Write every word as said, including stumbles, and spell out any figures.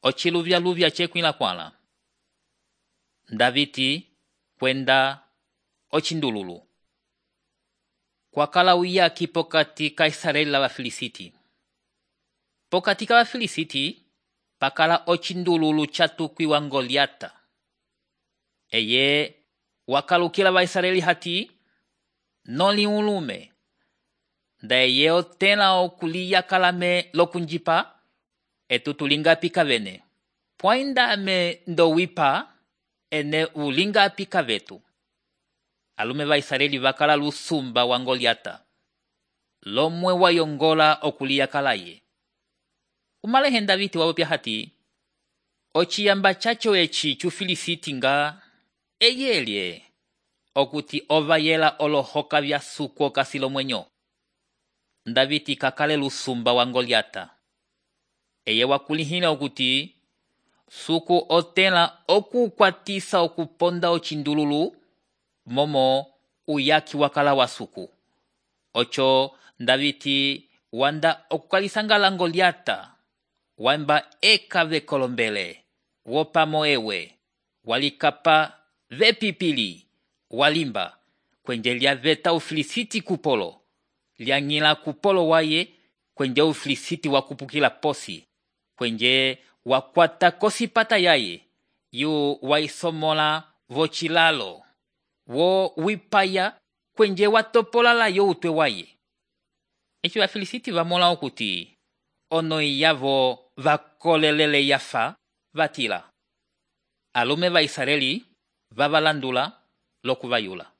ociluvyaluvya cekwila kwala. Daviti kwenda ocindululu. Kwakala uyaki pokati ka Israeli la Bafilisiti. Pokati ka Bafilisiti pakala ocindululu chatukwiwa Goliata. Eye wakalukila ba Israeli hati noli ulume. Nda eye otela okuliya kalame lokunjipa etutulinga pika vene. Poinda ame ndowipa ene ulinga pika vetu. Alume ba Israeli bakala lusumba wa Goliata. Lomwe wayongola okuliya kalaye. Umalehe Daviti wawopya hati ociyamba chacho echi chufilisiti nga eyelye okuti ovayela olohoka vya suko kasilo mwenyo. Daviti kakale lusumba wa Goliata. Eye wakulihila okuti suku otela okukwatisa okuponda ocindululu momo uyaki wakala wa suku. Ocho Daviti wanda okukalisangala Goliata wamba eka vekolombele wopamo ewe walikapa vepipili walimba kwenje lya veta ufilisiti kupolo lyangila kupolo waye kwenje ufilisiti wakupukila posi kwenje wakwata kosipata yaye yu waisomola vochilalo wo wipaya kwenje watopola la yo utwe waye. Echi Bafilisiti vamola okuti ono yavo vakolelele yafa vatila. Alume ba Israeli vavalandula lokuvayula.